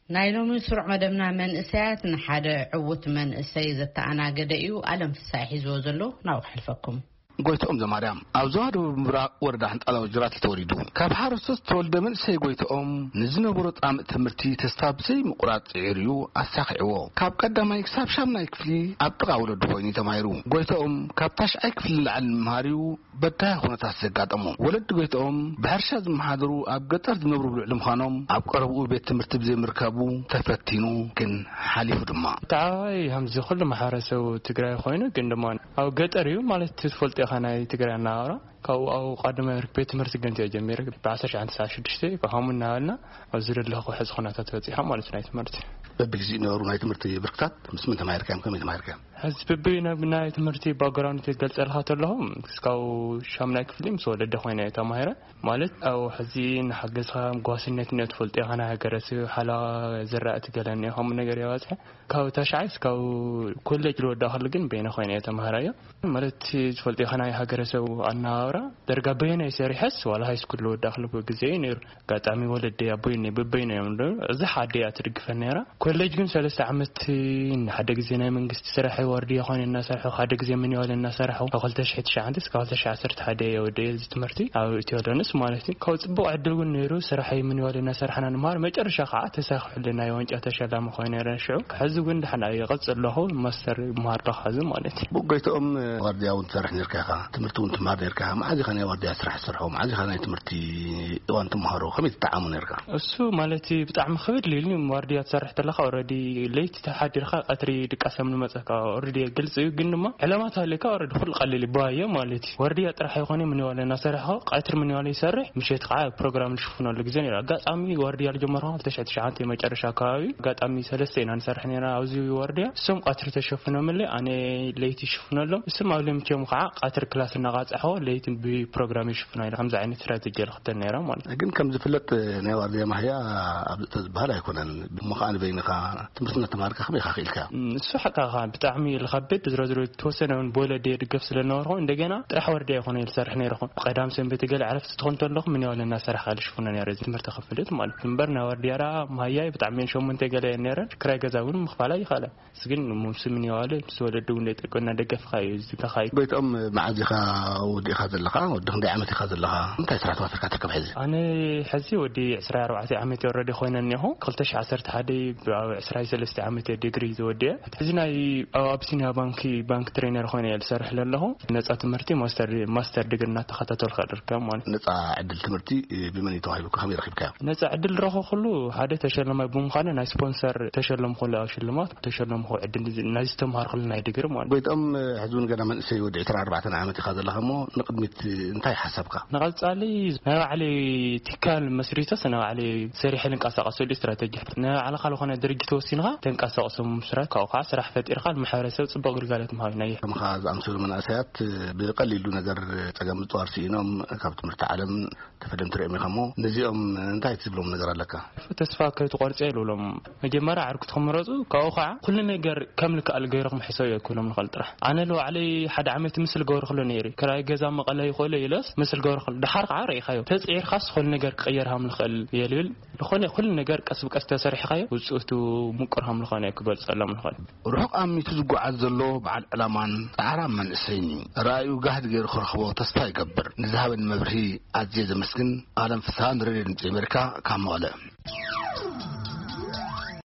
ናይ ሎሚ ስሩዕ መደብና መንእሰያት ንሓደ ዕዉት መንእሰይ ዘተኣናገደ እዩ። ኣለም ፍሳይ ሒዝዎ ዘሎ ናብኡ ሓልፈኩም። ጎይትኦም ዘማርያም ኣብ ዞባ ደቡብ ምብራቕ ወረዳ ሕንጣላ ወጅራት ተወሊዱ። ካብ ሓረስቶት ዝተወልደ መንእሰይ ጎይትኦም ንዝነበሮ ጻምእ ትምህርቲ ተስፋ ብዘይ ምቑራጽ ጽዒሩ እዩ ኣሳኺዕዎ። ካብ ቀዳማይ ክሳብ ሻምናይ ክፍሊ ኣብ ጥቓ ወለዱ ኮይኑ እዩ ተማሂሩ። ጎይትኦም ካብ ታሽዓይ ክፍሊ ንላዕሊ ንምምሃር እዩ በዳሂ ኩነታት ዘጋጠሞ። ወለዲ ጎይትኦም ብሕርሻ ዝመሓደሩ ኣብ ገጠር ዝነብሩ ብልዕሊ ምዃኖም ኣብ ቀረብኡ ቤት ትምህርቲ ብዘይምርካቡ ተፈቲኑ ግን ሓሊፉ ድማ። ተዓዋይ ከምዚ ኩሉ ማሕበረሰብ ትግራይ ኮይኑ ግን ድማ ኣብ ገጠር እዩ ማለት ትፈልጦ ኢኻ ናይ ትግራይ ኣነባብራ። ካብኡ ኣብ ቃድመ ቤት ትምህርቲ ገንት እየ ጀሚረ ብ1996 ከምኡ እናበልና ኣብዚ ዘለኹ ሕዚ ኩነታት በፂሖም ማለት ናይ ትምህርቲ። በብግዜኡ ነበሩ ናይ ትምህርቲ ብርክታት ምስ ምን ተማሂርካዮም ከመይ ተማሂርካዮም? ሕዚ ብብይ ናብ ናይ ትምህርቲ ባክግራውንድ ትገልጸልካ ተለኹ እስካብ ሻምናይ ክፍሊ ምስ ወለደ ኮይነ ተማሂረ። ማለት ኣብ ሕዚ ንሓገዝካ ጓስነት እነ ትፈልጦ ኢኻ ናይ ሃገረሰብ ሓለዋ ዝራእቲ ገለን እየ ከምኡ ነገር የባፅሐ። ካብ ታሽዓይ እስካብ ኮሌጅ ዝወዳእክሉ ግን በይነ ኮይነ እየ ተማሃራዮ። ማለት ዝፈልጦ ኢኻ ናይ ሃገረሰብ ኣነባብራ ደርጋ በይነ ሰሪሐስ ዋላ ሃይስኩል ዝወዳእክሉ ግዜ እዩ ነይሩ። ኣጋጣሚ ወለደይ ኣቦይ እኔ ብበይኖ እዮም ዶ እዚ ሓደ እያ ትድግፈን ነይራ። ኮሌጅ ግን ሰለስተ ዓመት ንሓደ ግዜ ናይ መንግስቲ ስራሕ ወርድያ ኮይነ እናሰርሑ ሓደ ግዜ ምንዋል እናሰርሑ ካብ ክልተ ሽሕ ትሽዓተ እስካብ ክልተ ሽሕ ዓሰርተ ሓደ እየ ወደየ እዚ ትምህርቲ ኣብ ኢትዮ ዶንስ ማለት እዩ። ካብ ፅቡቕ ዕድል እውን ነይሩ ስራሕ ምንዋል እናሰርሐና ንምሃር መጨረሻ ከዓ ተሳኺሑልና ናይ ዋንጫ ተሸላሚ ኮይነ ነረ ሽዑ። ሕዚ እውን ድሓን እየ ቀፅል ኣለኹ ማስተር ምሃር ኣለኹ ሕዚ ማለት እዩ። ብጎይትኦም ዋርድያ እውን ትሰርሕ ነርካ ኢኻ፣ ትምህርቲ እውን ትምሃር ነርካ ኢኻ። መዓዝ ኢኻ ናይ ዋርድያ ስራሕ ትሰርሖ? መዓዝ ኢኻ ናይ ትምህርቲ እዋን ትምሃሮ? ከመይ ትጠዓሞ ነርካ? እሱ ማለት ብጣዕሚ ክብድ ኢሉኒ። ዋርድያ ትሰርሕ ተለኻ ኦልሬዲ ለይቲ ተሓዲርካ ቀትሪ ድቃሰም ንመፀካ ኦልሬዲ ግልፂ እዩ። ግን ድማ ዕላማ ተሃልየካ ኦልሬዲ ኩሉ ቀሊል ይበሃዮ ማለት እዩ። ዋርድያ ጥራሕ ኣይኮነ ምንዋለ እናሰርሕኻ ቀትሪ ምንዋለ ይሰርሕ፣ ምሸት ከዓ ፕሮግራም ዝሽፍነሉ ግዜ ነይሩ። ኣጋጣሚ ዋርድያ ዝጀመርኩ ክልተ ሽሕ ትሽዓተ መጨረሻ ኣካባቢ ኣጋጣሚ ሰለስተ ኢና ንሰርሕ ነይርና ኣብዚ ዋርድያ። እሶም ቀትሪ ተሸፍኖምለይ ኣነ ለይቲ ይሽፍነሎም። እሶም ኣብ ለምቸም ከዓ ቀትሪ ክላስ እናቃፃሕዎ ለይቲ ብፕሮግራም ይሽፍኖ ኢለ ከምዚ ዓይነት ስትራቴጂ ኢለ ክተል ነይረ ማለት እዩ። ግን ከም ዝፍለጥ ናይ ዋርድያ ማህያ ኣብ ተዝበሃል ኣይኮነን። እሞ ከዓ ንበይንኻ ትምህርቲ እናተማሃርካ ከመይ ኢኻ ክኢልካ? እም፣ እሱ ሓቃኻ ብጣዕሚ እዩ ዝኸብድ። ዝሮ ዝሮ ዝተወሰነ እውን ብወለዲ ድገፍ ስለ ዝነበርኩ እንደገና ጥራሕ ዋርድያ ይኾነ ዝሰርሕ ነይርኹ። ቀዳም ሰንበት ገለ ዕረፍቲ ትኾን ተለኹ ምን ያው እናሰርሕ ካልሽ ፍኖ ነይረ እዚ ትምህርቲ ክፍልጥ ማለት እዩ። እምበር ናይ ዋርድያ ደኣ ማህያይ ብጣዕሚ እየን ሸሞንተ ገለ እየን ነይረን። ክራይ ገዛ እውን ምኽፋል ኣይኸኣለን። እሱ ግን ምስ ምን ያው ምስ ወለዲ እውን ደይጠቀና ደገፍኻ እዩ እዚ ተኻይ። ጎይትኦም መዓዝ ኢኻ ወዲእኻ ዘለኻ? ወዲ ክንደይ ዓመት ኢኻ ዘለኻ? እንታይ ስራሕ ተዋፊርካ ትርከብ ሕዚ? ኣነ ሕዚ ወዲ ዕስራ ኣርባዕተ ዓመት ወረዲ ኮይነ እኒኹ። ክልተ ሽሕ ዓሰርተ ሓደ ኣብ ዕስራ ሰለስተ ዓመት እየ ዲግሪ ዝወድየ። ሕዚ ናይ ኣብ ኣቢሲንያ ባንኪ ባንክ ትሬነር ኮይነ እየ ዝሰርሕ ዘለኹ። ነፃ ትምህርቲ ማስተር፣ ማስተር ዲግሪ እናተኸታተልካ ዝርከብ ማለት እዩ። ነፃ ዕድል ትምህርቲ ብመን እዩ ተዋሂቡካ? ከመይ ረኺብካዮ? ነፃ ዕድል ረኸብኩሉ ሓደ ተሸላማይ ብምዃነ ናይ ስፖንሰር ተሸለምኩሉ ኣብ ሽልማት ተሸለምኩ ዕድል ናይ ዝተምሃርኩሉ ናይ ዲግሪ ማለት እዩ። ጎይትኦም፣ ሕዚ እውን ገና መንእሰይ ወዲ ዕስራን ኣርባዕተን ዓመት ኢኻ ዘለኻ እሞ ንቕድሚት እንታይ ሓሳብካ? ንቐጻሊ ናይ ባዕለይ ትካል መስሪተስ ናይ ባዕለይ ሰሪሐ ልንቀሳቐሰሉ ስትራተጂ። ናይ ባዕልኻ ዝኾነ ድርጅት ወሲንኻ ተንቀሳቕሶ ምስራት ካብኡ ከዓ ስራሕ ፈጢርካ ንማሕበረሰብ ጽቡቕ ግልጋሎት ምሃብ ኢና። ከምኻ ዝኣምሰሉ መናእሰያት ብቐሊሉ ነገር ጸገም ምጽዋር ስኢኖም ካብ ትምህርቲ ዓለም ተፈለምቲ ርኦም ኢኻ እሞ ነዚኦም እንታይ ትብሎም ነገር ኣለካ? ተስፋ ከይትቆርጽ እየ ዝብሎም። መጀመርያ ዓርኩ ትኽምረጹ ካብኡ ከዓ ኩሉ ነገር ከም ልክኣል ገይርኩም ሕሰብ እየ ክብሎም ንኽእል ጥራሕ። ኣነ ንባዕለይ ሓደ ዓመት ምስል ገበርክሎ ነይረ። ክራይ ገዛ መቐለ ይኽእሎ ኢለስ ምስል ገበርክሎ። ድሓር ከዓ ርኢኻዮ። ተጽዒርካስ ኩሉ ነገር ክቕየር ሃም ንኽእል እየ ልብል። ዝኾነ ኩሉ ነገር ቀስ ብቀስ ተሰሪሕኻዮ ውፅእቱ ምቁር ሃም ዝኾነ እየ ክገልጸሎም ንኽእል። ርሑቕ ኣሚቱ ዝጓዓዝ ዘሎ በዓል ዕላማን ጻዕራም መንእሰይን እዩ። ራእዩ ጋህዲ ገይሩ ክረኽቦ ተስፋ ይገብር። ንዝሃበኒ መብርሂ ኣዝየ ዘመስግን። ኣለም ፍስሃ ንሬድዮ ድምፂ ኣሜሪካ ካብ መቐለ።